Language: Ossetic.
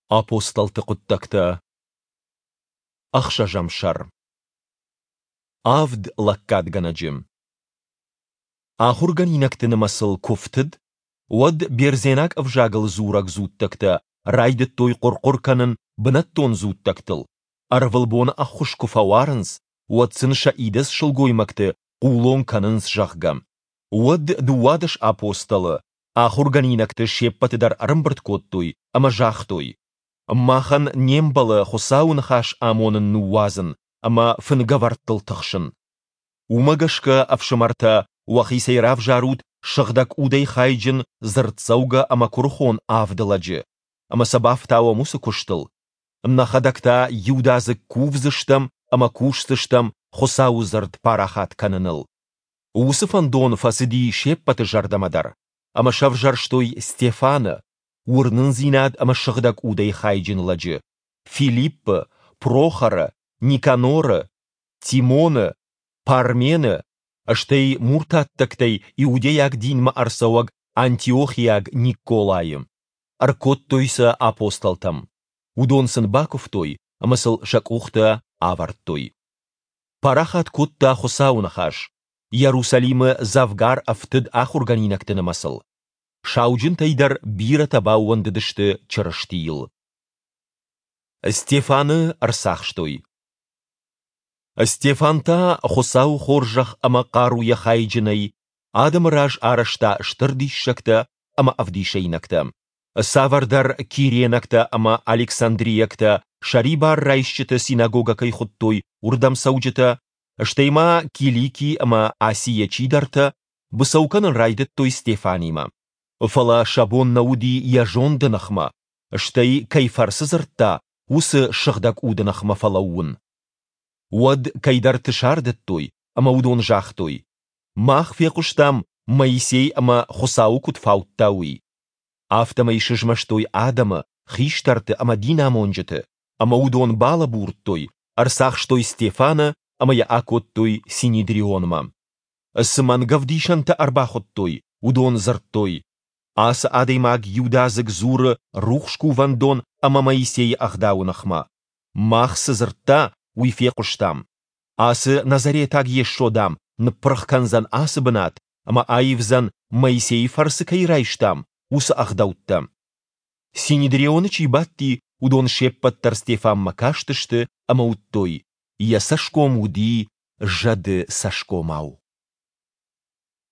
Апостолты хъуыддӕгтӕ, ӕхсӕзӕм сӕр. Авд лӕггадгӕнӕджы. Ахуыргӕнинӕгты нымӕцыл куы фтыд, уӕд бердзенаг ӕвзагыл дзурӕг дзуттӕгтӕ райдыдтой хъуыр-хъуыр кӕнын бынӕттон дзуттӕгтыл, ӕрвылбоны ӕххуыс куы фӕуарынц, уӕд сын сӕ идӕдз сылгоймӕгты хъулон кӕнынц, зӕгъгӕ. Уӕд 12 апостолы ахуыргӕнинӕгты се ппӕты дӕр ӕрӕмбырд кодтой ӕмӕ загътой, Махӕн не мбӕлы Хуыцауы ныхас амонын ныууадзын ӕмӕ фынгӕвӕрдтыл тыхсын. Уымӕ гӕсгӕ, ӕфсымӕртӕ, уӕхицӕй равзарут Сыгъдӕг Удӕй хайджын, дзырддзӕугӕ ӕмӕ куырыхон авд лӕджы, ӕмӕ сӕ бафтауӕм уыцы куыстыл. Нӕхӕдӕг та иудадзыг кувдзыстӕм ӕмӕ кусдзыстӕм Хуыцауы дзырд парахат кӕныныл. Уыцы фӕндон фӕцыди се ппӕты зӕрдӕмӕ дӕр, ӕмӕ сӕвзӕрстой Стефаны, уырнындзинад ӕмӕ сыгъдӕг удӕй хайджын лӕджы, Филиппы, Прохоры, Никаноры, Тимоны, Пармены, стӕй муртаттӕгтӕй иудейаг динмӕ ӕрцӕуӕг антиохиаг Никколайы. Ӕркодтой сӕ апостолтӕм. Уыдон сын бакуывтой ӕмӕ сыл сӕ къухтӕ авӕрдтой. Парахат кодта Хуыцауы ныхас, Иерусалимы дзӕвгар ӕфтыд ахуыргӕнинӕгты нымӕцыл. Сауджынтӕй дӕр бирӕтӕ баууӕндыдысты Чырыстийыл. Стефаны ӕрцахстой. Стефан та Хуыцауы хорзӕх ӕмӕ хъаруйӕ хайджынӕй адӕмы раз арӕзта стыр диссӕгтӕ ӕмӕ ӕвдисӕйнӕгтӕ. Цавӕрдӕр киренӕгтӕ ӕмӕ александрийӕгтӕ сӕрибар райсджыты синагогӕ кӕй хуыдтой, уырдӕм цӕуджытӕ, стӕй ма Килики ӕмӕ Асийӕ чидӕртӕ, быцӕу кӕнын райдыдтой Стефанимӕ. Фӕлӕ сӕ бон нӕ уыди йӕ зонды ныхмӕ, стӕй кӕй фӕрцы дзырдта, уыцы Сыгъдӕг Уды ныхмӕ фӕлӕууын. Уӕд кӕйдӕрты сардыдтой, ӕмӕ уыдон загътой: Мах фехъуыстам, Моисей ӕмӕ Хуыцауы куыд фаудта, уый. Афтӕмӕй сызмӕстой адӕмы, хистӕрты ӕмӕ динамонджыты, ӕмӕ уыдон балӕбурдтой, ӕрцахстой Стефаны ӕмӕ йӕ акодтой Синедрионмӕ. Цы мӕнгӕвдисӕнтӕ ӕрбахуыдтой, уыдон дзырдтой: Ацы адӕймаг иудадзыг дзуры рухс кувӕндон ӕмӕ Моисейы ӕгъдауы ныхмӕ. Мах цы дзырдта, уый фехъуыстам. Ацы назаретаг Йесо, дам, ныппырх кӕндзӕн ацы бынат ӕмӕ аивдзӕн, Моисейы фӕрцы кӕй райстам, уыцы ӕгъдӕуттӕ. Синедрионы чи бадти, уыдон се ппӕт дӕр Стефанмӕ кастысты ӕмӕ уыдтой, йӕ цӕсгом уыди зӕды цӕсгомау.